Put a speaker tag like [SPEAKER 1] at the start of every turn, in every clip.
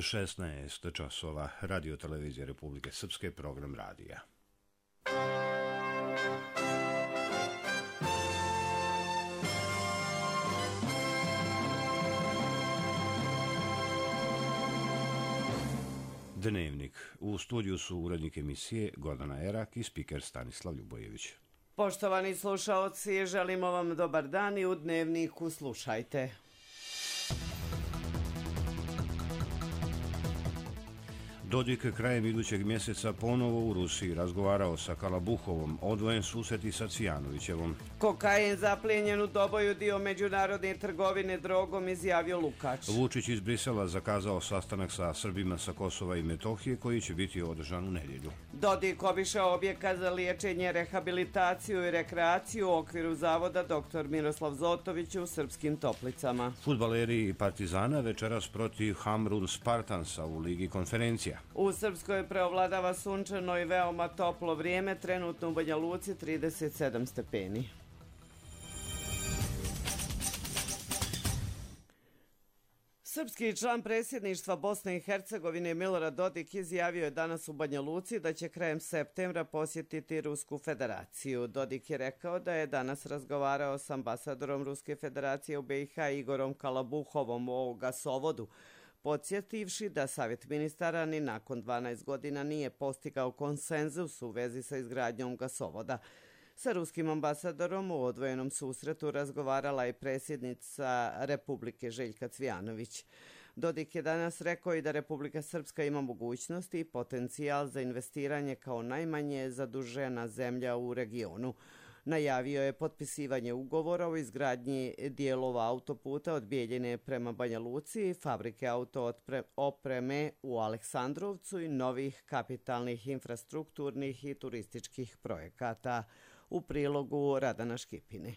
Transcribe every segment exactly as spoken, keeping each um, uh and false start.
[SPEAKER 1] šesnaest časova, Radio televizije Republike Srpske, program radija. Dnevnik. U studiju su urednik emisije Gordana Erak i spiker Stanislav Ljubojević.
[SPEAKER 2] Poštovani slušaoci, želimo vam dobar dan i u Dnevniku slušajte.
[SPEAKER 1] Dodik krajem idućeg mjeseca ponovo u Rusiji razgovarao sa Kalabuhovom, odvojen susret i sa Cvijanovićevom.
[SPEAKER 2] Kokain zaplijenjen u Doboju, dio međunarodne trgovine drogom, izjavio Lukač.
[SPEAKER 1] Vučić iz Brisela zakazao sastanak sa Srbima sa Kosova i Metohije koji će biti održan u nedjelju.
[SPEAKER 2] Dodik obišao objekat za liječenje, rehabilitaciju i rekreaciju u okviru zavoda doktor Miroslav Zotović u Srpskim Toplicama.
[SPEAKER 1] Fudbaleri Partizana večeras protiv Hamrun Spartansa u Ligi konferencija.
[SPEAKER 2] U Srpskoj preovladava sunčano i veoma toplo vrijeme, trenutno u Banja Luci trideset sedam stepeni. Srpski član predsjedništva Bosne i Hercegovine Milorad Dodik izjavio je danas u Banja Luci da će krajem septembra posjetiti Rusku federaciju. Dodik je rekao da je danas razgovarao s ambasadorom Ruske federacije u B i H Igorom Kalabuhovom o gasovodu, podsjetivši da Savjet ministara ni nakon dvanaest godina nije postigao konsenzus u vezi sa izgradnjom gasovoda. Sa ruskim ambasadorom u odvojenom susretu razgovarala je predsjednica Republike Željka Cvijanović. Dodik je danas rekao i da Republika Srpska ima mogućnosti i potencijal za investiranje kao najmanje zadužena zemlja u regionu. Najavio je potpisivanje ugovora o izgradnji dijelova autoputa od Bijeljine prema Banja Luci, fabrike auto opreme u Aleksandrovcu i novih kapitalnih infrastrukturnih i turističkih projekata. U prilogu Radana Škipine.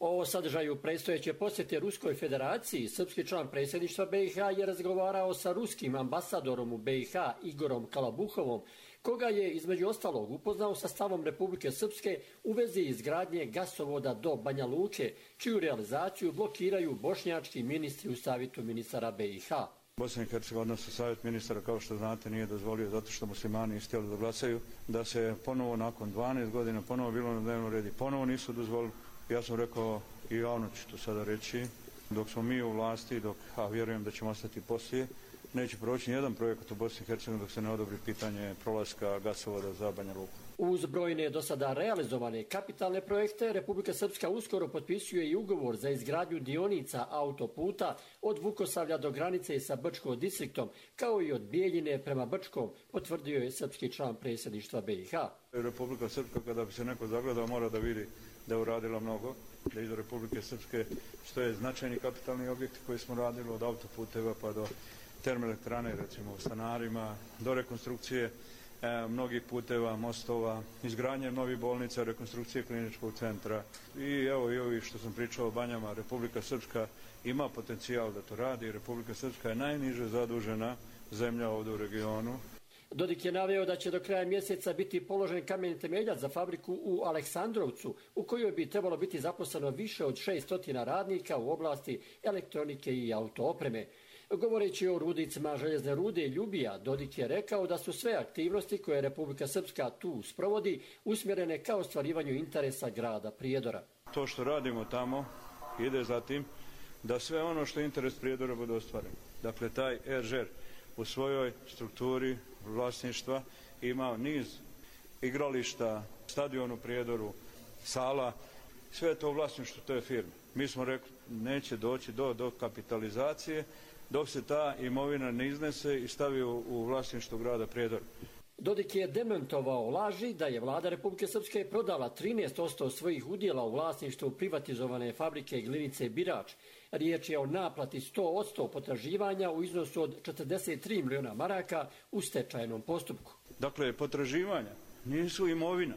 [SPEAKER 3] O sadržaju predstojeće posjete Ruskoj federaciji srpski član predsjedništva B i H je razgovarao sa ruskim ambasadorom u B i H Igorom Kalabuhovom, koga je između ostalog upoznao sa stavom Republike Srpske u vezi izgradnje gasovoda do Banja Luke, čiju realizaciju blokiraju bošnjački ministri u savjetu ministara B i H.
[SPEAKER 4] Bosna i Hercegovina, odnosno savjet ministara, kao što znate, nije dozvolio, zato što muslimani nisu htjeli da glasaju, da se ponovo nakon dvanaest godina ponovo bilo na dnevnom redu, ponovo nisu dozvolili. Ja sam rekao i javno ću to sada reći, dok smo mi u vlasti, dok, a vjerujem da ćemo ostati poslije, neće proći nijedan projekat u Bosni i Hercegovini dok se ne odobri pitanje prolaska gasovoda za Banja Luku.
[SPEAKER 3] Uz brojne do sada realizovane kapitalne projekte, Republika Srpska uskoro potpisuje i ugovor za izgradnju dionica autoputa od Vukosavlja do granice sa Brčkom distriktom, kao i od Bijeljine prema Brčkom, potvrdio je srpski član predsjedništva B i H.
[SPEAKER 4] Republika Srpska, kada bi se neko zagledao, mora da vidi da je uradila mnogo, da iz Republike Srpske stoje značajni kapitalni objekti koji smo radili od autoputeva pa do termoelektrane, recimo u Stanarima, do rekonstrukcije e, mnogih puteva, mostova, izgradnje novih bolnica, rekonstrukcije kliničkog centra i evo i ovi što sam pričao o Banjama. Republika Srpska ima potencijal da to radi. Republika Srpska je najniže zadužena zemlja ovdje u regionu.
[SPEAKER 3] Dodik je naveo da će do kraja mjeseca biti položen kamen temeljac za fabriku u Aleksandrovcu, u kojoj bi trebalo biti zaposleno više od šesnaest radnika u oblasti elektronike i autoopreme. Govoreći o rudnicima željezne rude Ljubija, Dodik je rekao da su sve aktivnosti koje Republika Srpska tu sprovodi usmjerene ka ostvarivanju interesa grada Prijedora.
[SPEAKER 4] To što radimo tamo ide za tim da sve ono što je interes Prijedora bude ostvareno. Dakle, taj er žer u svojoj strukturi vlasništva ima niz igrališta, stadion u Prijedoru, sala, sve je to vlasništvo te firme. Mi smo rekli neće doći do, do kapitalizacije dok se ta imovina ne iznese i stavi u, u vlasništvo grada Prijedora.
[SPEAKER 3] Dodik je demantovao laži da je vlada Republike Srpske prodala trinaest posto svojih udjela u vlasništvu privatizovane fabrike Glinice Birač. Riječ je o naplati sto posto potraživanja u iznosu od četrdeset tri miliona maraka u stečajnom postupku.
[SPEAKER 4] Dakle, potraživanja nisu imovina.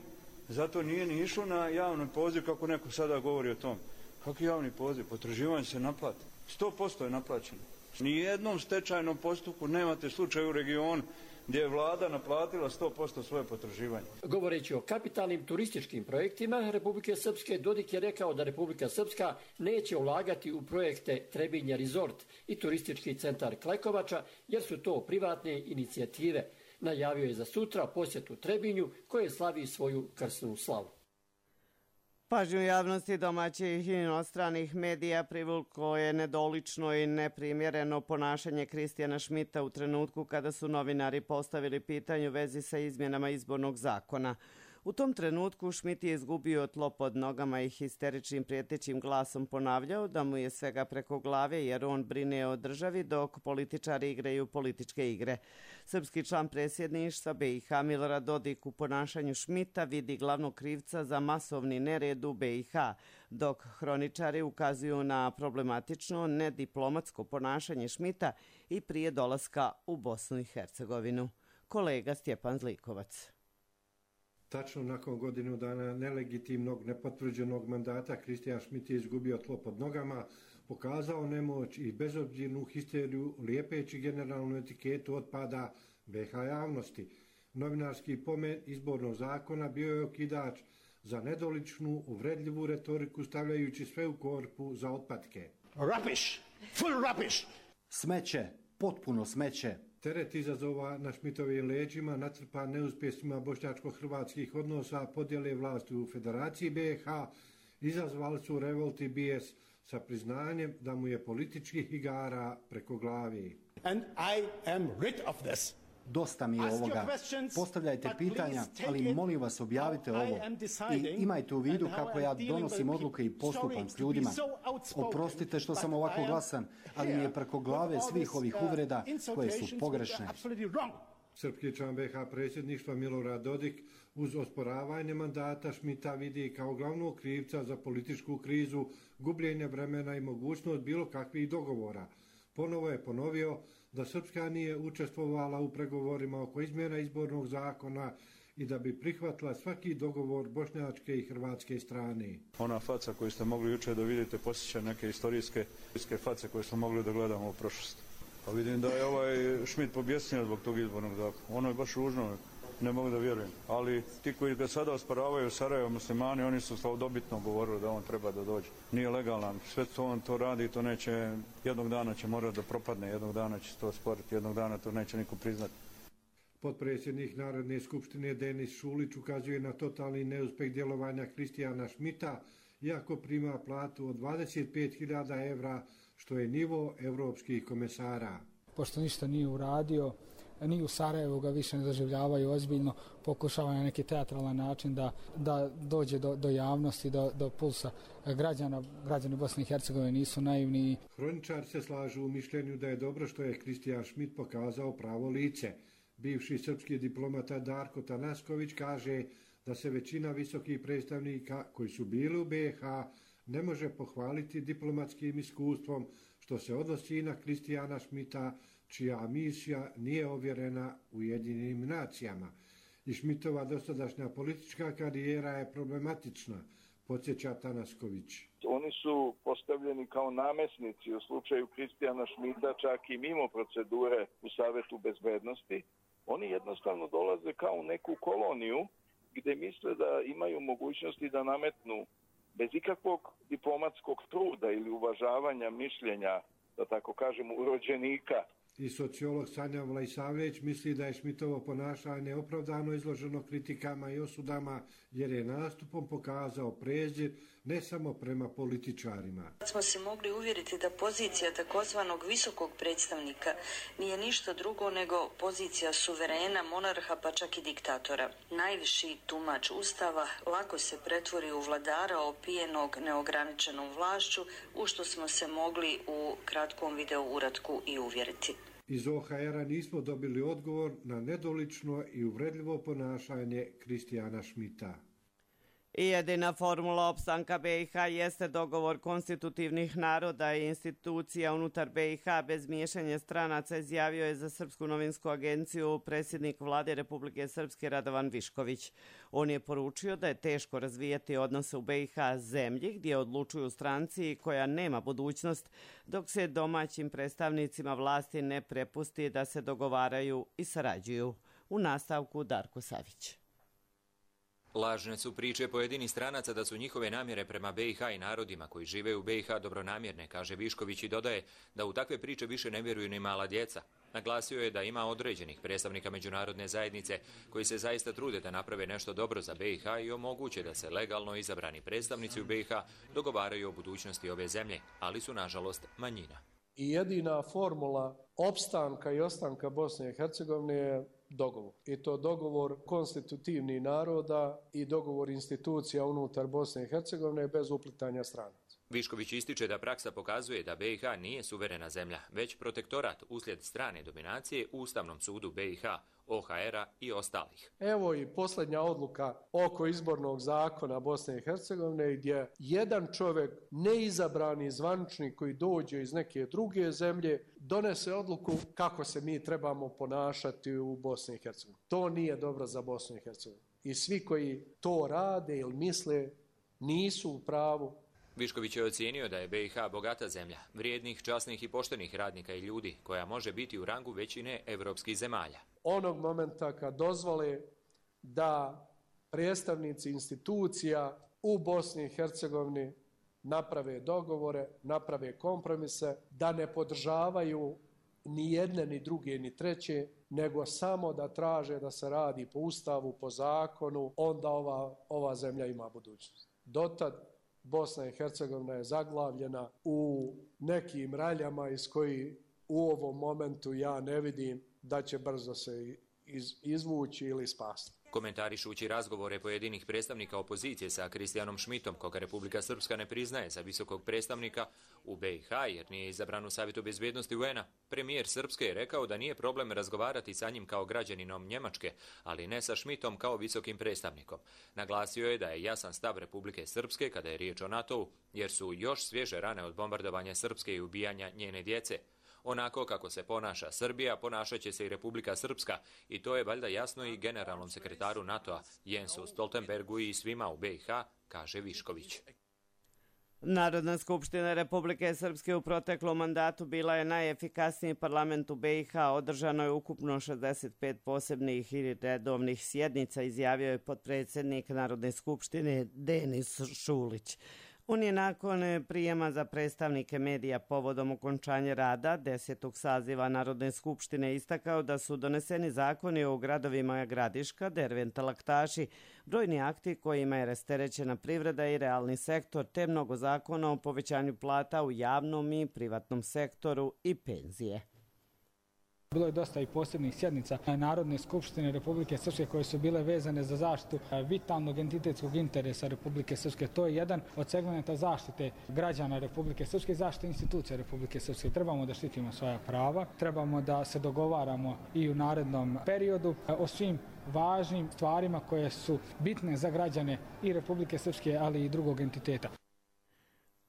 [SPEAKER 4] Zato nije ni išlo na javni poziv kako neko sada govori o tom. Kako javni poziv? Potraživanje se naplati. sto posto je naplaćeno. Nijednom stečajnom postupku nemate slučaj u regionu gdje je vlada naplatila sto posto svoje potraživanje.
[SPEAKER 3] Govoreći o kapitalnim turističkim projektima Republike Srpske, Dodik je rekao da Republika Srpska neće ulagati u projekte Trebinje Resort i turistički centar Klekovača, jer su to privatne inicijative. Najavio je za sutra posjetu Trebinju, koje slavi svoju krsnu slavu.
[SPEAKER 2] Pažnju javnosti domaćih i inostranih medija privuklo je nedolično i neprimjereno ponašanje Kristijana Šmita u trenutku kada su novinari postavili pitanje u vezi sa izmjenama izbornog zakona. U tom trenutku Šmit je izgubio tlo pod nogama i histeričnim prijetećim glasom ponavljao da mu je svega preko glave jer on brine o državi dok političari igraju političke igre. Srpski član predsjedništva B i H Milorad Dodik u ponašanju Šmita vidi glavnog krivca za masovni nered u B i H, dok hroničari ukazuju na problematično nediplomatsko ponašanje Šmita i prije dolaska u Bosnu i Hercegovinu. Kolega Stjepan Zlikovac.
[SPEAKER 5] Tačno nakon godinu dana nelegitimnog, nepotvrđenog mandata Kristijan Šmit je izgubio tlo pod nogama, pokazao nemoć i bezobzirnu histeriju lijepeći generalnu etiketu otpada B iH javnosti. Novinarski pomen izbornog zakona bio je okidač za nedoličnu, uvredljivu retoriku stavljajući sve u korpu za otpadke.
[SPEAKER 6] Rubbish! Full rubbish! Smeće, potpuno smeće.
[SPEAKER 5] Teret izazova na Šmitovim leđima, natrpan neuspjesima bošnjačko-hrvatskih odnosa, podjele vlasti u Federaciji B iH, izazvali su revolt i bijes sa priznanjem da mu je političkih igara preko glavi.
[SPEAKER 6] And I am rid of this. Dosta mi je ovoga. Postavljajte pitanja, ali molim vas objavite ovo. I imajte u vidu kako ja donosim odluke i postupam s ljudima. Oprostite što sam ovako glasan, ali mi je preko glave svih ovih uvreda koje su pogrešne.
[SPEAKER 5] Srpski član B iH predsjedništva Milorad Dodik uz osporavanje mandata Šmita vidi kao glavnog krivca za političku krizu, gubljenje vremena i mogućnost bilo kakvih dogovora. Ponovo je ponovio da Srpska nije učestvovala u pregovorima oko izmjena izbornog zakona i da bi prihvatila svaki dogovor bošnjačke i hrvatske strane.
[SPEAKER 4] Ona faca koju ste mogli jučer da vidite posjeća neke historijske face koje smo mogli da gledamo u prošlosti. Pa vidim da je ovaj Šmit pobjesnio zbog tog izbornog zakona. Ono je baš ružno, ne mogu da vjerujem. Ali ti koji ga sada osporavaju u Sarajevo muslimani, oni su slavodobitno govorili da on treba da dođe. Nije legalan, sve to on to radi, to neće, jednog dana će morati da propadne, jednog dana će to osporiti, jednog dana to neće niko priznati.
[SPEAKER 5] Potpredsjednik Narodne skupštine Denis Šulić ukazuje na totalni neuspeh djelovanja Kristijana Šmita, iako prima platu od dvadeset pet hiljada evra, što je nivo evropskih komesara.
[SPEAKER 7] Pošto ništa nije uradio, ni u Sarajevu ga više ne doživljavaju ozbiljno, pokušava na neki teatralan način da, da dođe do, do javnosti, do, do pulsa građana. Građani Bosne i Hercegovine nisu naivni.
[SPEAKER 5] Hroničar se slažu u mišljenju da je dobro što je Kristijan Šmit pokazao pravo lice. Bivši srpski diplomata Darko Tanasković kaže da se većina visokih predstavnika koji su bili u B iH ne može pohvaliti diplomatskim iskustvom, što se odnosi na Kristijana Šmita, čija misija nije ovjerena Ujedinjenim nacijama. I Šmitova dosadašnja politička karijera je problematična, podsjeća Tanasković.
[SPEAKER 8] Oni su postavljeni kao namesnici u slučaju Kristijana Šmita, čak i mimo procedure u Savetu bezbednosti. Oni jednostavno dolaze kao u neku koloniju gdje misle da imaju mogućnosti da nametnu bez ikakvog diplomatskog truda ili uvažavanja mišljenja, da tako kažem, urođenika.
[SPEAKER 5] I sociolog Sanja Vlajsavljević misli da je Šmitovo ponašanje opravdano izloženo kritikama i osudama, jer je nastupom pokazao prezir ne samo prema političarima.
[SPEAKER 9] Smo se mogli uvjeriti da pozicija takozvanog visokog predstavnika nije ništa drugo nego pozicija suverena, monarha pa čak i diktatora. Najviši tumač Ustava lako se pretvori u vladara opijenog neograničenom vlašću, u što smo se mogli u kratkom video uratku i uvjeriti.
[SPEAKER 5] Iz O H R-a nismo dobili odgovor na nedolično i uvredljivo ponašanje Kristijana Šmita.
[SPEAKER 2] I jedina formula opstanka B iH jeste dogovor konstitutivnih naroda i institucija unutar B iH bez miješanja stranaca, izjavio je za Srpsku novinsku agenciju predsjednik vlade Republike Srpske Radovan Višković. On je poručio da je teško razvijati odnose u B iH zemlji gdje odlučuju stranci koja nema budućnost, dok se domaćim predstavnicima vlasti ne prepusti da se dogovaraju i sarađuju. U nastavku Darko Savić.
[SPEAKER 10] Lažne su priče pojedinih stranaca da su njihove namjere prema B i H i narodima koji žive u B i H dobronamjerne, kaže Višković i dodaje da u takve priče više ne vjeruju ni mala djeca. Naglasio je da ima određenih predstavnika međunarodne zajednice koji se zaista trude da naprave nešto dobro za B i H i omoguće da se legalno izabrani predstavnici u B i H dogovaraju o budućnosti ove zemlje, ali su nažalost manjina.
[SPEAKER 11] I jedina formula opstanka i ostanka Bosne i Hercegovine je dogovor. I to dogovor konstitutivnih naroda i dogovor institucija unutar Bosne i Hercegovine bez uplitanja stranaca.
[SPEAKER 10] Višković ističe da praksa pokazuje da B i H nije suverena zemlja, već protektorat uslijed strane dominacije u Ustavnom sudu B i H, O H R-a i ostalih.
[SPEAKER 11] Evo i posljednja odluka oko izbornog zakona Bosne i Hercegovine gdje jedan čovjek, neizabrani zvaničnik koji dođe iz neke druge zemlje, donese odluku kako se mi trebamo ponašati u Bosni i Hercegovini. To nije dobro za Bosnu i Hercegovinu. I svi koji to rade ili misle nisu u pravu.
[SPEAKER 10] Višković je ocijenio da je B i H bogata zemlja, vrijednih, časnih i poštenih radnika i ljudi, koja može biti u rangu većine evropskih zemalja.
[SPEAKER 11] Onog momenta kad dozvole da predstavnici institucija u Bosni i Hercegovini naprave dogovore, naprave kompromise, da ne podržavaju ni jedne, ni druge, ni treće, nego samo da traže da se radi po ustavu, po zakonu, onda ova, ova zemlja ima budućnost. Dotad Bosna i Hercegovina je zaglavljena u nekim raljama iz koji u ovom momentu ja ne vidim da će brzo se iz, izvući ili spasti.
[SPEAKER 10] Komentarišući razgovore pojedinih predstavnika opozicije sa Kristijanom Šmitom, koga Republika Srpska ne priznaje za visokog predstavnika u B i H jer nije izabran u Savjetu bezbjednosti U N a, premijer Srpske je rekao da nije problem razgovarati sa njim kao građaninom Njemačke, ali ne sa Šmitom kao visokim predstavnikom. Naglasio je da je jasan stav Republike Srpske kada je riječ o NATO-u, jer su još svježe rane od bombardovanja Srpske i ubijanja njene djece. Onako kako se ponaša Srbija, ponašat će se i Republika Srpska i to je valjda jasno i generalnom sekretaru NATO-a Jensu Stoltenbergu i svima u B i H, kaže Višković.
[SPEAKER 2] Narodna skupština Republike Srpske u proteklom mandatu bila je najefikasniji parlament u B i H. Održano je ukupno šezdeset pet posebnih i redovnih sjednica, izjavio je potpredsjednik Narodne skupštine Denis Šulić. On je nakon prijema za predstavnike medija povodom okončanja rada desetog saziva Narodne skupštine istakao da su doneseni zakoni o gradovima Gradiška, Derventa, Laktaši, brojni akti kojima je rasterećena privreda i realni sektor, te mnogo zakona o povećanju plata u javnom i privatnom sektoru i penzije.
[SPEAKER 7] Bilo je dosta i posebnih sjednica Narodne skupštine Republike Srpske koje su bile vezane za zaštitu vitalnog entitetskog interesa Republike Srpske. To je jedan od segmenta zaštite građana Republike Srpske i zaštite institucija Republike Srpske. Trebamo da štitimo svoja prava, trebamo da se dogovaramo i u narednom periodu o svim važnim stvarima koje su bitne za građane i Republike Srpske, ali i drugog entiteta.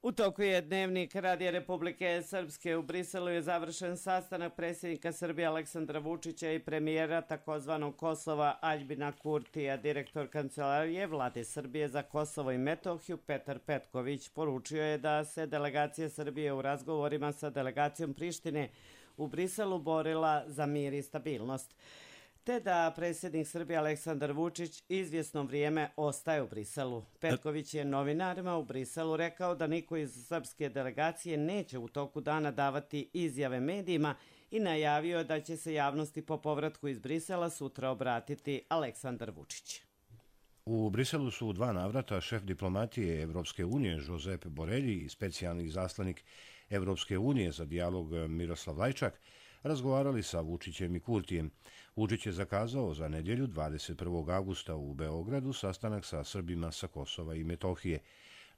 [SPEAKER 2] U toku je dnevnik Radija Republike Srpske. U Briselu je završen sastanak predsjednika Srbije Aleksandra Vučića i premijera takozvanog Kosova Aljbina Kurtija. Direktor kancelarije Vlade Srbije za Kosovo i Metohiju Petar Petković poručio je da se delegacija Srbije u razgovorima sa delegacijom Prištine u Briselu borila za mir i stabilnost, te da predsjednik Srbije Aleksandar Vučić izvjesno vrijeme ostaje u Briselu. Petković je novinarima u Briselu rekao da niko iz srpske delegacije neće u toku dana davati izjave medijima i najavio da će se javnosti po povratku iz Brisela sutra obratiti Aleksandar Vučić.
[SPEAKER 1] U Briselu su u dva navrata šef diplomatije Evropske unije Josep Borelji i specijalni izaslanik Evropske unije za dijalog Miroslav Lajčak razgovarali sa Vučićem i Kurtijem. Vučić je zakazao za nedjelju dvadeset prvog avgusta u Beogradu sastanak sa Srbima sa Kosova i Metohije.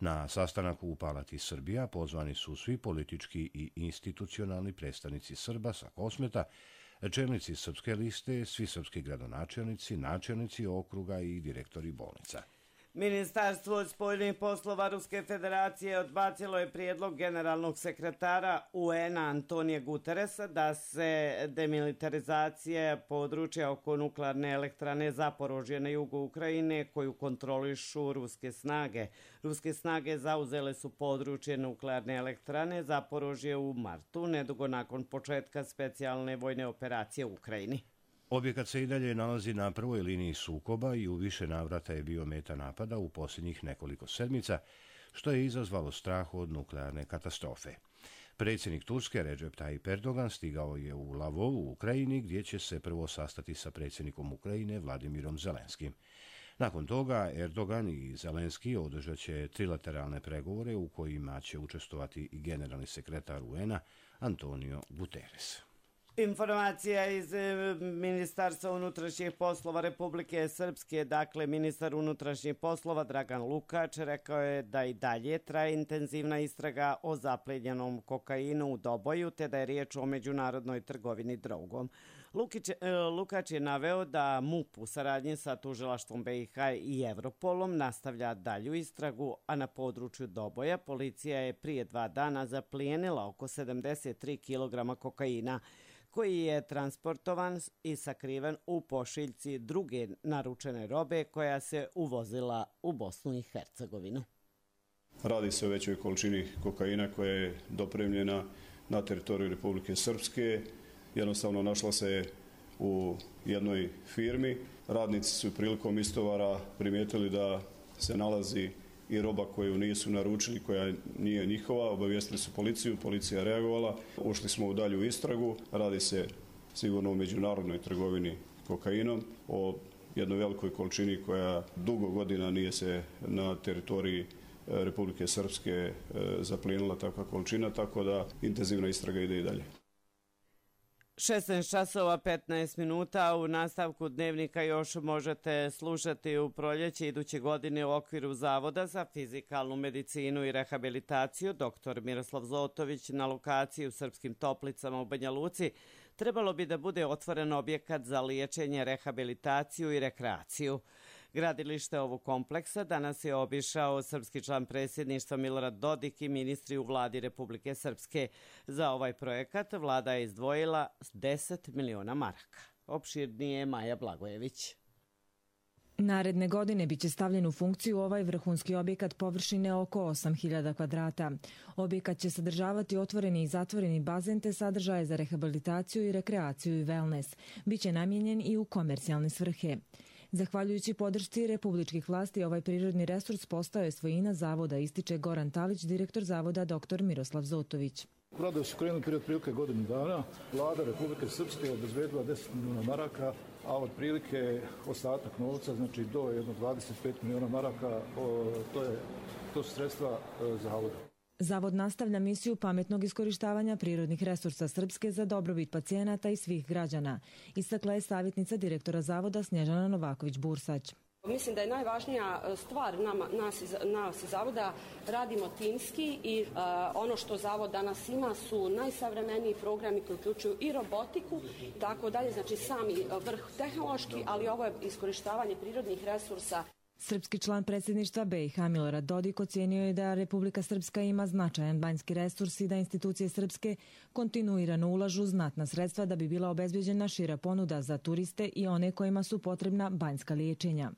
[SPEAKER 1] Na sastanak u Palati Srbija pozvani su svi politički i institucionalni predstavnici Srba sa Kosmeta, čelnici Srpske liste, svi srpski gradonačelnici, načelnici okruga i direktori bolnica.
[SPEAKER 2] Ministarstvo spoljnih poslova Ruske federacije odbacilo je prijedlog generalnog sekretara U N a Antonija Guteresa da se demilitarizacija područja oko nuklearne elektrane Zaporožje na jugu Ukrajine koju kontrolišu ruske snage. Ruske snage zauzele su područje nuklearne elektrane Zaporožje u martu, nedugo nakon početka specijalne vojne operacije u Ukrajini.
[SPEAKER 1] Objekat se i dalje nalazi na prvoj liniji sukoba i u više navrata je bio meta napada u posljednjih nekoliko sedmica, što je izazvalo strah od nuklearne katastrofe. Predsjednik Turske Recep Tayyip Erdogan stigao je u Lvov u Ukrajini, gdje će se prvo sastati sa predsjednikom Ukrajine Vladimirom Zelenskim. Nakon toga Erdogan i Zelenski održat će trilateralne pregovore u kojima će učestvovati i generalni sekretar U N-a Antonio Guterres.
[SPEAKER 2] Informacija iz Ministarstva unutrašnjih poslova Republike Srpske, dakle ministar unutrašnjih poslova Dragan Lukač rekao je da i dalje traje intenzivna istraga o zapljenjenom kokainu u Doboju, te da je riječ o međunarodnoj trgovini drogom. Lukić, Lukač je naveo da MUP u saradnji sa tužilaštvom B i H i Europolom nastavlja dalju istragu, a na području Doboja policija je prije dva dana zaplijenila oko sedamdeset tri kilograma kokaina, koji je transportovan i sakriven u pošiljci druge naručene robe koja se uvozila u Bosnu i Hercegovinu.
[SPEAKER 12] Radi se o većoj količini kokaina koja je dopremljena na teritoriju Republike Srpske. Jednostavno našla se u jednoj firmi. Radnici su prilikom istovara primijetili da se nalazi i roba koju nisu naručili, koja nije njihova. Obavijestili su policiju, policija je reagovala. Ušli smo u dalju istragu. Radi se sigurno o međunarodnoj trgovini kokainom, o jednoj velikoj količini koja dugo godina nije se na teritoriji Republike Srpske zaplijenila takva količina, tako da intenzivna istraga ide i dalje.
[SPEAKER 2] šesnaest časova petnaest minuta. U nastavku dnevnika još možete slušati u proljeće iduće godine u okviru Zavoda za fizikalnu medicinu i rehabilitaciju doktor Miroslav Zotović na lokaciji u Srpskim Toplicama u Banja Luci trebalo bi da bude otvoren objekat za liječenje, rehabilitaciju i rekreaciju. Gradilište ovog kompleksa danas je obišao srpski član predsjedništva Milorad Dodik i ministri u vladi Republike Srpske. Za ovaj projekat vlada je izdvojila deset miliona maraka. Opširnije Maja Blagojević.
[SPEAKER 13] Naredne godine biće stavljen u funkciju ovaj vrhunski objekat površine oko osam hiljada kvadrata. Objekat će sadržavati otvoreni i zatvoreni bazen te sadržaje za rehabilitaciju i rekreaciju i wellness. Biće namijenjen i u komercijalne svrhe. Zahvaljujući podršci republičkih vlasti, ovaj prirodni resurs postao je svojina zavoda, ističe Goran Talić, direktor zavoda doktor Miroslav Zotović.
[SPEAKER 14] Radovi su krenuli prije otprilike godinu dana. Vlada Republike Srpske je obezbedila deset miliona maraka, a otprilike ostatak novca, znači do jedno dvadeset pet miliona maraka, to, je, to su sredstva zavoda.
[SPEAKER 13] Zavod nastavlja misiju pametnog iskorištavanja prirodnih resursa Srpske za dobrobit pacijenata i svih građana, istakla je savjetnica direktora zavoda Snježana Novaković-Bursać.
[SPEAKER 15] Mislim da je najvažnija stvar nama, nas, nas iz zavoda, radimo timski i uh, ono što zavod danas ima su najsavremeniji programi koji uključuju i robotiku, tako dalje, znači sami vrh tehnološki, ali ovo je iskorištavanje prirodnih resursa.
[SPEAKER 13] Srpski član predsjedništva B i H Milorad Dodik ocijenio je da Republika Srpska ima značajan banjski resurs i da institucije Srpske kontinuirano ulažu znatna sredstva da bi bila obezbeđena šira ponuda za turiste i one kojima su potrebna banjska liječenja.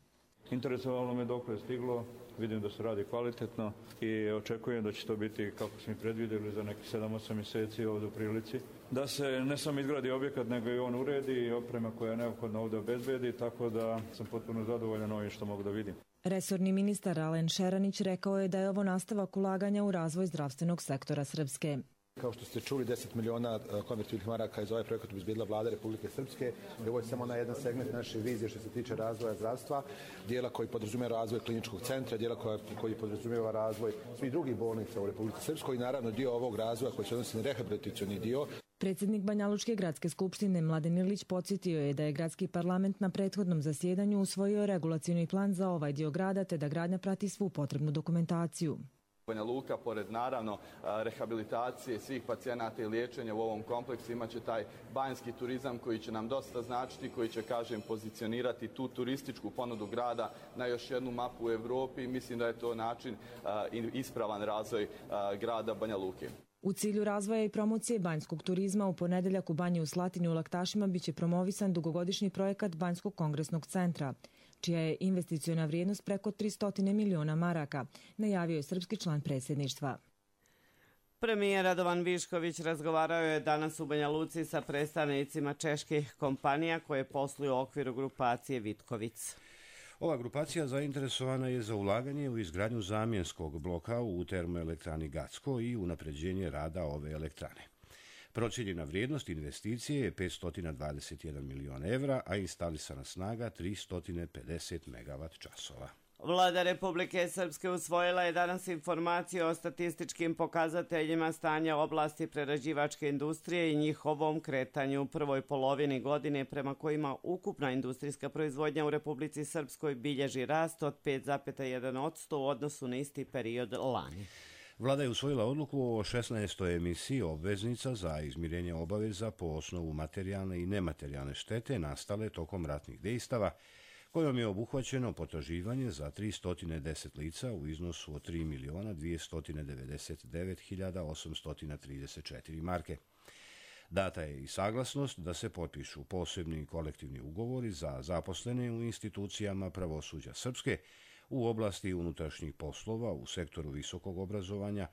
[SPEAKER 4] Interesovalo me dok je stiglo, vidim da se radi kvalitetno i očekujem da će to biti, kako smo i predvidjeli, za nekih sedam osam mjeseci ovdje u prilici. Da se ne samo izgradi objekat, nego i on uredi i oprema koja je neophodna ovdje obezbedi, tako da sam potpuno zadovoljan ovim što mogu da vidim.
[SPEAKER 13] Resorni ministar Alen Šeranić rekao je da je ovo nastavak ulaganja u razvoj zdravstvenog sektora Srpske.
[SPEAKER 16] Kao što ste čuli, deset miliona konvertibilnih maraka iz ovaj projekat obezbedila vlada Republike Srpske. Ovo je samo na jedan segment naše vizije što se tiče razvoja zdravstva, dijela koji podrazumijeva razvoj kliničkog centra, dijela koja, koji podrazumijeva razvoj svih drugih bolnica u Republike Srpskoj i naravno dio ovog razvoja koji se odnosi na rehabilitacioni dio.
[SPEAKER 13] Predsjednik Banjalučke gradske skupštine Mladen Ilić podsjetio je da je gradski parlament na prethodnom zasjedanju usvojio regulacioni plan za ovaj dio grada te da gradnja prati svu potrebnu dokumentaciju.
[SPEAKER 17] Banja Luka, pored naravno rehabilitacije svih pacijenata i liječenja u ovom kompleksu, imaće taj banjski turizam koji će nam dosta značiti, koji će, kažem, pozicionirati tu turističku ponudu grada na još jednu mapu u Evropi. Mislim da je to način i ispravan razvoj grada Banja Luke.
[SPEAKER 13] U cilju razvoja i promocije banjskog turizma u ponedeljak u Banji u Slatini u Laktašima biće promovisan dugogodišnji projekat Banjskog kongresnog centra, čija je investiciona vrijednost preko tristo miliona maraka, najavio je srpski član predsjedništva.
[SPEAKER 2] Premijer Radovan Višković razgovarao je danas u Banja Luci sa predstavnicima čeških kompanija koje posluju u okviru grupacije Vitkovic.
[SPEAKER 1] Ova grupacija zainteresovana je za ulaganje u izgradnju zamjenskog bloka u termoelektrani Gacko i unapređenje rada ove elektrane. Procijenjena vrijednost investicije je petsto dvadeset jedan milion evra, a instalisana snaga tristo pedeset megavat časova.
[SPEAKER 2] Vlada Republike Srpske usvojila je danas informacije o statističkim pokazateljima stanja oblasti prerađivačke industrije i njihovom kretanju u prvoj polovini godine, prema kojima ukupna industrijska proizvodnja u Republici Srpskoj bilježi rast od pet zarez jedan posto u odnosu na isti period lani.
[SPEAKER 1] Vlada je usvojila odluku o šesnaestoj emisiji obveznica za izmirenje obaveza po osnovu materijalne i nematerijalne štete nastale tokom ratnih dejstava, kojom je obuhvaćeno potraživanje za tristo deset lica u iznosu od tri miliona dvjesto devedeset devet hiljada osamsto trideset četiri marke. Data je i saglasnost da se potpišu posebni kolektivni ugovori za zaposlene u institucijama pravosuđa Srpske u oblasti unutrašnjih poslova u sektoru visokog obrazovanja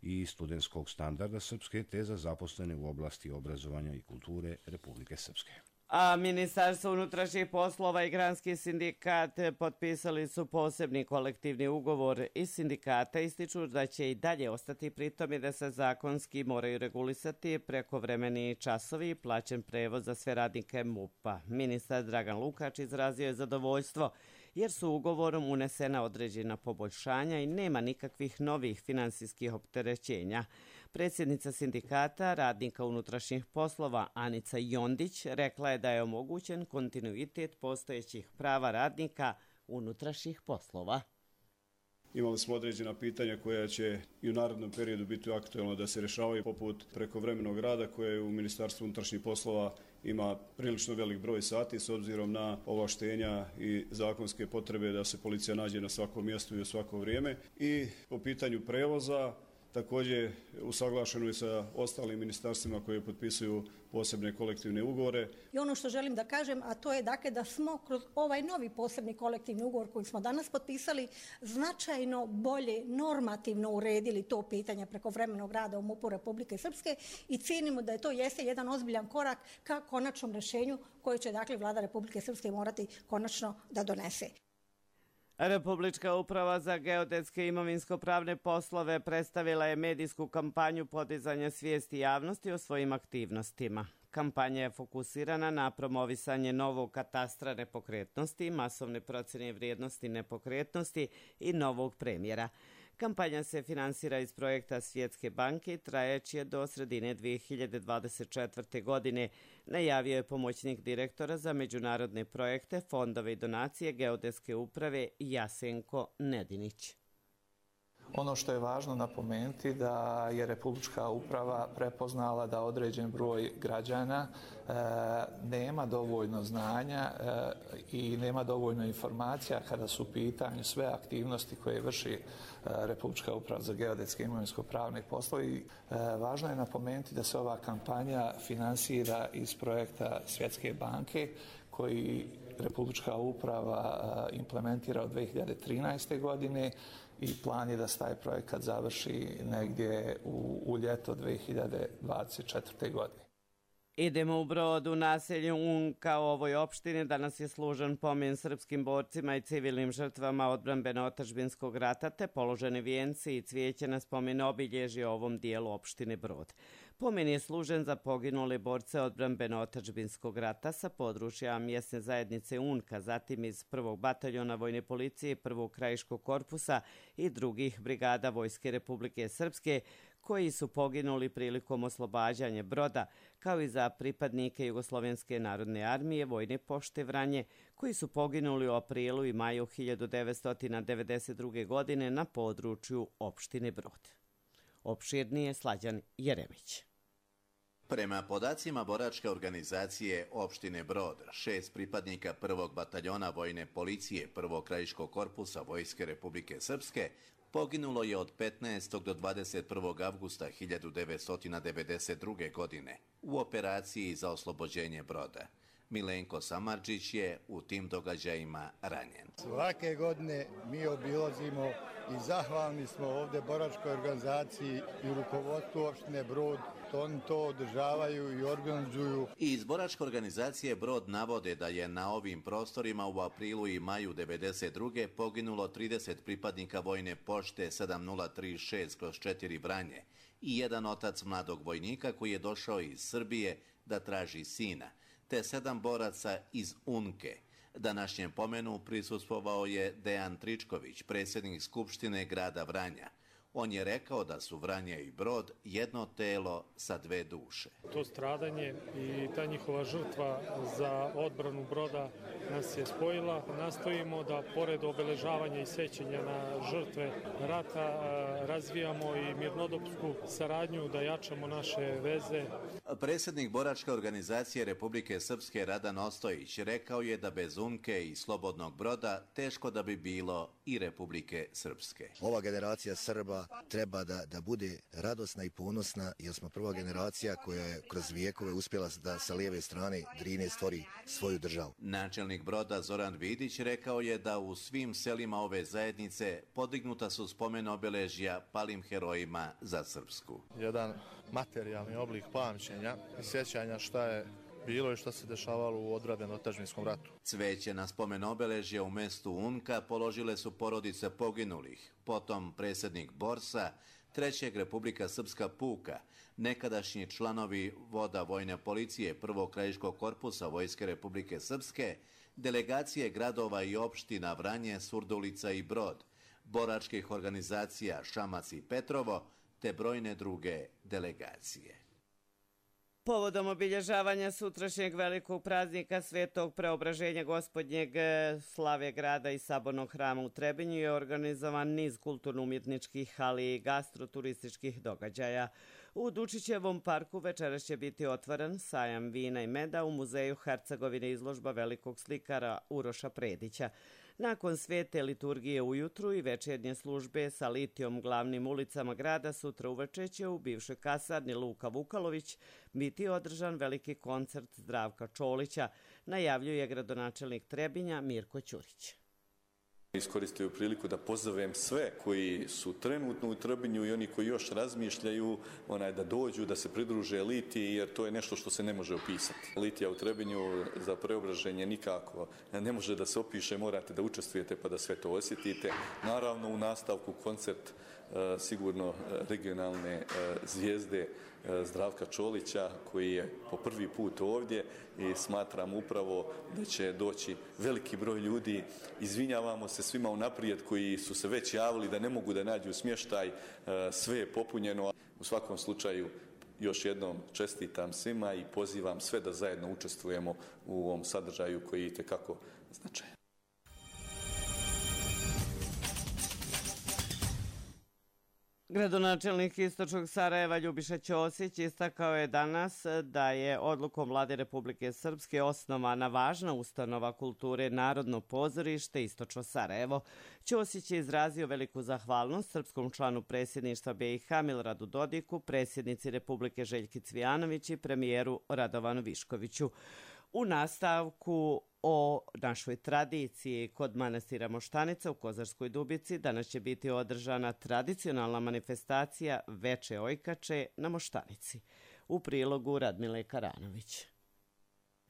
[SPEAKER 1] i studentskog standarda Srpske, te za zaposlene u oblasti obrazovanja i kulture Republike Srpske.
[SPEAKER 2] A Ministarstvo unutrašnjih poslova i Granski sindikat potpisali su posebni kolektivni ugovor iz sindikata, ističu da će i dalje ostati pri tome da se zakonski moraju regulisati prekovremeni časovi i plaćen prevoz za sve radnike MUP-a. Ministar Dragan Lukač izrazio je zadovoljstvo jer su ugovorom unesena određena poboljšanja i nema nikakvih novih finansijskih opterećenja. Predsjednica sindikata radnika unutrašnjih poslova Anica Jondić rekla je da je omogućen kontinuitet postojećih prava radnika unutrašnjih poslova.
[SPEAKER 12] Imali smo određena pitanja koja će i u narednom periodu biti aktuelno da se rješavaju, poput prekovremenog rada koje u Ministarstvu unutrašnjih poslova ima prilično velik broj sati s obzirom na ovlaštenja i zakonske potrebe da se policija nađe na svakom mjestu i u svako vrijeme. I po pitanju prevoza također usaglašeno je sa ostalim ministarstvima koje potpisuju posebne kolektivne ugovore.
[SPEAKER 18] I ono što želim da kažem, a to je dakle da smo kroz ovaj novi posebni kolektivni ugovor koji smo danas potpisali značajno bolje normativno uredili to pitanje prekovremenog rada u MUP-u Republike Srpske i cijenimo da je to jeste jedan ozbiljan korak ka konačnom rješenju koje će dakle Vlada Republike Srpske morati konačno da donese.
[SPEAKER 2] Republička uprava za geodetske i imovinsko-pravne poslove predstavila je medijsku kampanju podizanja svijesti javnosti o svojim aktivnostima. Kampanja je fokusirana na promovisanje novog katastra nepokretnosti, masovne procjene vrijednosti nepokretnosti i novog premjera. Kampanja se finansira iz projekta Svjetske banke i trajeće do sredine dvije hiljade dvadeset četvrte. godine, najavio je pomoćnik direktora za međunarodne projekte, fondove i donacije geodetske uprave Jasenko Nedinić.
[SPEAKER 19] Ono što je važno napomenuti da je Republička uprava prepoznala da određen broj građana e, nema dovoljno znanja e, i nema dovoljno informacija kada su u pitanju sve aktivnosti koje vrši e, Republička uprava za geodetske i imovinsko-pravne poslove. E, važno je napomenuti da se ova kampanja finansira iz projekta Svjetske banke koji Republička uprava implementira od dvije hiljade trinaeste. godine i plan je da se taj projekat završi negdje u, u ljeto dvije hiljade dvadeset četvrte. godine.
[SPEAKER 2] Idemo u Brod, u naselju Unka u ovoj opštini. Danas je služen pomen srpskim borcima i civilnim žrtvama odbrambeno-otadžbinskog rata, te položeni vijenci i cvijeće na spomen obilježje ovom dijelu opštine Brod. Pomen je služen za poginule borce odbrambeno-otadžbinskog rata sa područja mjesne zajednice Unka, zatim iz prvog bataljona vojne policije, prvog krajiškog korpusa i drugih brigada Vojske Republike Srpske, koji su poginuli prilikom oslobađanja Broda, kao i za pripadnike Jugoslovenske narodne armije Vojne pošte Vranje, koji su poginuli u aprilu i maju hiljadu devetsto devedeset druge. godine na području opštine Brod. Opširnije Slađan Jeremić.
[SPEAKER 20] Prema podacima boračke organizacije opštine Brod, šest pripadnika prvog bataljona vojne policije prvog krajiškog korpusa Vojske Republike Srpske poginulo je od petnaestog do dvadeset prvog avgusta hiljadu devetsto devedeset druge. godine u operaciji za oslobođenje Broda. Milenko Samardžić je u tim događajima ranjen.
[SPEAKER 21] Svake godine mi obilazimo i zahvalni smo ovdje boračkoj organizaciji i rukovodstvu opštine Brod. Oni to održavaju i organizuju.
[SPEAKER 20] I iz boračke organizacije Brod navode da je na ovim prostorima u aprilu i maju devedeset druge poginulo trideset pripadnika vojne pošte sedam nula tri šest kroz četiri Vranje i jedan otac mladog vojnika koji je došao iz Srbije da traži sina, te sedam boraca iz Unke. Današnjem pomenu prisustvovao je Dejan Tričković, predsjednik Skupštine grada Vranja. On je rekao da su Vranje i Brod jedno telo sa dve duše.
[SPEAKER 22] To stradanje i ta njihova žrtva za odbranu Broda nas je spojila. Nastojimo da pored obeležavanja i sećanja na žrtve rata razvijamo i mirnodopsku saradnju, da jačamo naše veze.
[SPEAKER 20] Predsjednik boračke organizacije Republike Srpske Radan Ostojić rekao je da bez Unke i slobodnog Broda teško da bi bilo i Republike Srpske.
[SPEAKER 23] Ova generacija Srba treba da, da bude radosna i ponosna, jer smo prva generacija koja je kroz vijekove uspjela da sa lijeve strane Drine stvori svoju državu.
[SPEAKER 20] Načelnik Broda Zoran Vidić rekao je da u svim selima ove zajednice podignuta su spomen obeležja palim herojima za Srpsku.
[SPEAKER 24] Jedan materijalni oblik pamćenja i sjećanja šta je bilo i što se dešavalo u odbrambeno-otadžbinskom ratu.
[SPEAKER 20] Cveće na spomen obeležja u mestu Unka položile su porodice poginulih, potom predsjednik Borsa, trećeg Republika Srpska puka, nekadašnji članovi voda vojne policije prvog krajiškog korpusa Vojske Republike Srpske, delegacije gradova i opština Vranje, Surdulica i Brod, boračkih organizacija Šamac i Petrovo, te brojne druge delegacije.
[SPEAKER 2] Povodom obilježavanja sutrašnjeg velikog praznika Svetog Preobraženja Gospodnjeg slave grada i Sabornog hrama u Trebinju je organizovan niz kulturno-umjetničkih, ali i gastroturističkih događaja. U Dučićevom parku večeras će biti otvoren sajam vina i meda, u muzeju Hercegovine izložba velikog slikara Uroša Predića. Nakon svete liturgije ujutru i večernje službe sa litijom glavnim ulicama grada, sutra uveče će u bivšoj kasarni Luka Vukalović biti održan veliki koncert Zdravka Čolića, najavljuje gradonačelnik Trebinja Mirko Ćurić.
[SPEAKER 25] Iskoristio priliku da pozovem sve koji su trenutno u Trebinju i oni koji još razmišljaju onaj, da dođu, da se pridruže Litiji, jer to je nešto što se ne može opisati. Litija u Trebinju za preobraženje nikako ne može da se opiše, morate da učestvujete pa da sve to osjetite. Naravno, u nastavku koncert sigurno regionalne zvijezde Zdravka Čolića, koji je po prvi put ovdje i smatram upravo da će doći veliki broj ljudi. Izvinjavamo se svima unaprijed koji su se već javili da ne mogu da nađu smještaj, sve je popunjeno. U svakom slučaju još jednom čestitam svima i pozivam sve da zajedno učestvujemo u ovom sadržaju koji je itekako značajan.
[SPEAKER 2] Gradonačelnik Istočnog Sarajeva Ljubiša Ćosić istakao je danas da je odlukom Vlade Republike Srpske osnovana važna ustanova kulture Narodno pozorište Istočno Sarajevo. Ćosić je izrazio veliku zahvalnost srpskom članu predsjedništva B i H Miloradu Dodiku, predsjednici Republike Željki Cvijanović i premijeru Radovanu Viškoviću. U nastavku o našoj tradiciji kod manastira Moštanica u Kozarskoj Dubici danas će biti održana tradicionalna manifestacija Veče ojkače na Moštanici. U prilogu Radmile Karanović.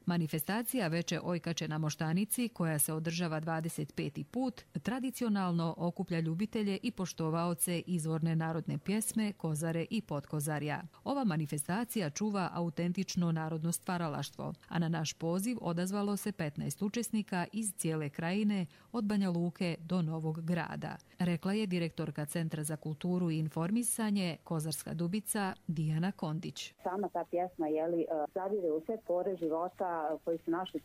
[SPEAKER 26] Manifestacija Veče ojkače na Moštanici, koja se održava dvadeset peti put, tradicionalno okuplja ljubitelje i poštovaoce izvorne narodne pjesme, kozare i potkozarja. Ova manifestacija čuva autentično narodno stvaralaštvo, a na naš poziv odazvalo se petnaest učesnika iz cijele krajine, od Banja Luke do Novog Grada, rekla je direktorka Centra za kulturu i informisanje Kozarska Dubica Dijana Kondić.
[SPEAKER 27] Sama ta pjesma jeli, zadire u sve pore života koji su naši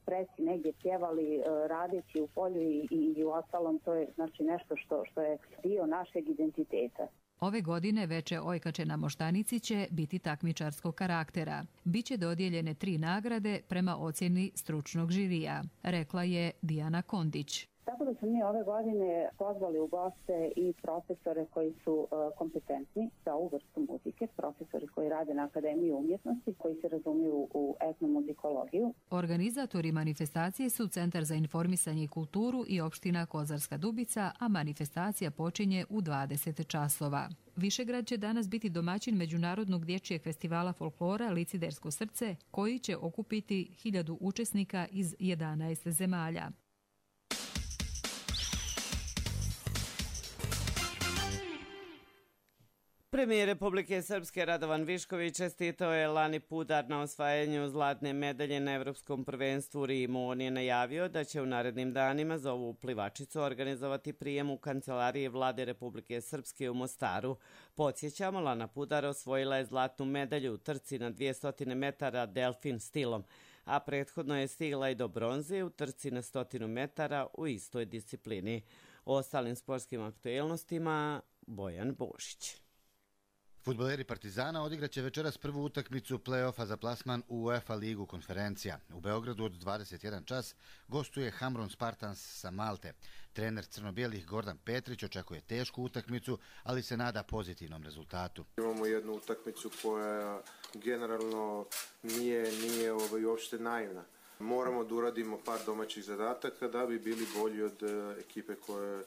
[SPEAKER 27] preci negdje pjevali radeći u polju i, i, i u ostalom, to je znači nešto što, što je dio našeg identiteta.
[SPEAKER 26] Ove godine Veče ojkače na Moštanici će biti takmičarskog karaktera. Biće dodijeljene tri nagrade prema ocjeni stručnog žirija, rekla je Dijana Kondić.
[SPEAKER 27] Tako da Zato smo mi ove godine pozvali u goste i profesore koji su kompetentni za ovu vrstu muzike, profesori koji rade na Akademiji umjetnosti, koji se razumiju u etnomuzikologiju.
[SPEAKER 26] Organizatori manifestacije su Centar za informisanje i kulturu i opština Kozarska Dubica, a manifestacija počinje u dvadeset časova. Višegrad će danas biti domaćin Međunarodnog dječjeg festivala folklora Licidersko srce, koji će okupiti hiljadu učesnika iz jedanaest zemalja.
[SPEAKER 2] Premijer Republike Srpske Radovan Višković čestitao je Lani Pudar na osvajanju zlatne medalje na Evropskom prvenstvu u Rimu. On je najavio da će u narednim danima za ovu plivačicu organizovati prijem u kancelariji Vlade Republike Srpske u Mostaru. Podsjećamo, Lana Pudar osvojila je zlatnu medalju u trci na dvjesto metara delfin stilom, a prethodno je stigla i do bronze u trci na stotinu metara u istoj disciplini. O ostalim sportskim aktuelnostima Bojan Božić.
[SPEAKER 3] Fudbaleri Partizana odigraće večeras prvu utakmicu play-offa za plasman u UEFA ligu konferencija. U Beogradu od dvadeset jedan čas gostuje Hamron Spartans sa Malte. Trener crno-bijelih Gordan Petrić očekuje tešku utakmicu, ali se nada pozitivnom rezultatu.
[SPEAKER 5] Imamo jednu utakmicu koja generalno nije, nije ovaj, uopšte naivna. Moramo da uradimo par domaćih zadataka da bi bili bolji od uh, ekipe koja uh,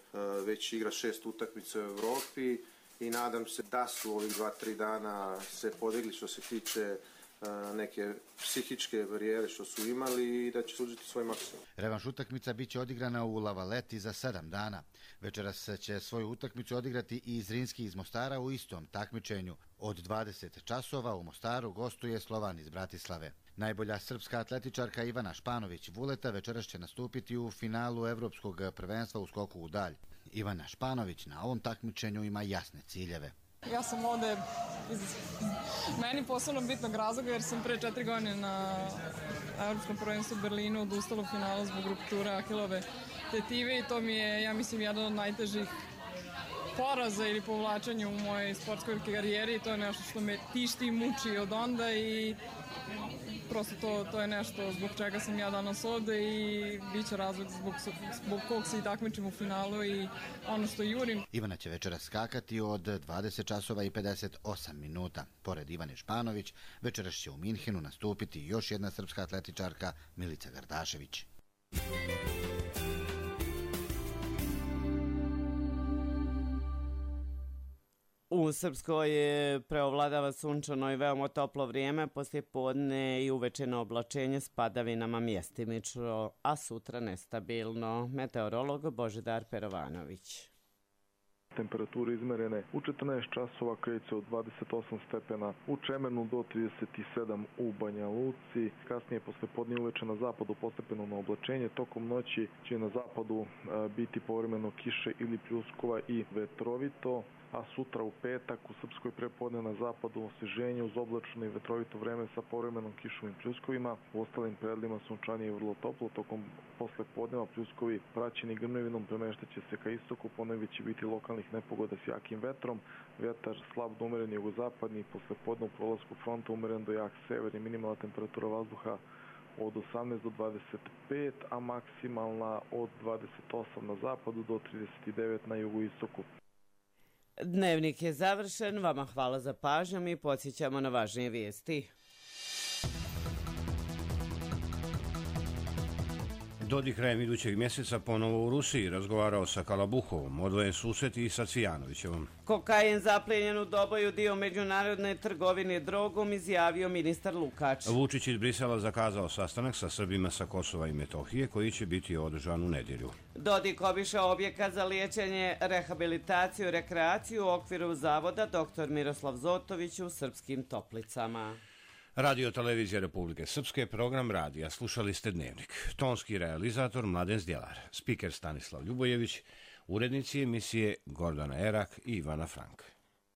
[SPEAKER 5] već igra šest utakmica u Evropi. I nadam se da su ovih dva, tri dana se podigli što se tiče uh, neke psihičke barijere što su imali i da će sužiti svoj maksimum.
[SPEAKER 3] Revanš utakmica biće odigrana u Lavaleti za sedam dana. Večeras će svoju utakmicu odigrati i Zrinski iz Mostara u istom takmičenju. Od dvadeset časova u Mostaru gostuje Slovan iz Bratislave. Najbolja srpska atletičarka Ivana Španović-Vuleta večeras će nastupiti u finalu Evropskog prvenstva u skoku u dalj. Ivana Španović na ovom takmičenju ima jasne ciljeve.
[SPEAKER 6] Ja sam ovde iz meni posebno bitnog razloga jer sam pre četiri godine na Evropskom prvenstvu u Berlinu odustala u finalu zbog rupture Ahilove tetive i to mi je, ja mislim, jedan od najtežih poraza ili povlačenja u mojoj sportskoj karijeri i to je nešto što me tišti i muči od onda i prosto to, to je nešto zbog čega sam ja danas ovde i bit će razlog zbog, zbog kog se i takmičim u finalu i ono što jurim.
[SPEAKER 3] Ivana će večeras skakati od dvadeset časova i pedeset osam minuta. Pored Ivane Španović, večeras će u Minhenu nastupiti još jedna srpska atletičarka Milica Gardašević.
[SPEAKER 2] U Srpskoj preovladava sunčano i veoma toplo vrijeme, poslije podne i uvečeno oblačenje s padavinama mjestimično, a sutra nestabilno. Meteorolog Božidar Perovanović.
[SPEAKER 8] Temperature izmerene u četrnaest časova kreću od dvadeset osam stepena u Čemenu do trideset sedam u Banja Luci. Kasnije posle podne uveče na zapadu postepeno na oblačenje. Tokom noći će na zapadu biti povremeno kiše ili pljuskova i vetrovito. A sutra u petak u Srpskoj prepodne na zapadu osveženje uz oblačno i vetrovito vreme sa povremenom kišom i pljuskovima. U ostalim predjelima sunčanije i vrlo toplo. Tokom posle podneva pljuskovi praćeni grmljavinom premeštaće se ka istoku. Ponegdje će biti lokalnih nepogoda s jakim vetrom. Vetar slab do umeren jugozapadni. Posle podne u prolasku fronta umeren do jak severni. Minimalna temperatura vazduha od osamnaest do dvadeset pet, a maksimalna od dvadeset osam na zapadu do trideset devet na jugoistoku.
[SPEAKER 2] Dnevnik je završen, vama hvala za pažnju i podsjećamo na važnije vijesti.
[SPEAKER 1] Dodik krajem idućeg mjeseca ponovo u Rusiji razgovarao sa Kalabuhovom, odvojen susret i sa Cvijanovićevom.
[SPEAKER 2] Kokain zapljenjen u Doboju dio međunarodne trgovine drogom, izjavio ministar Lukač.
[SPEAKER 1] Vučić iz Brisela zakazao sastanak sa Srbima sa Kosova i Metohije koji će biti održan u nedjelju.
[SPEAKER 2] Dodik obišao objekat za liječenje, rehabilitaciju i rekreaciju u okviru zavoda doktor Miroslav Zotović u Srpskim Toplicama.
[SPEAKER 1] Radio Televizija Republike Srpske, program radija. Slušali ste Dnevnik. Tonski realizator Mladen Zdjelar, spiker Stanislav Ljubojević, urednici emisije Gordana Erak i Ivana Frank.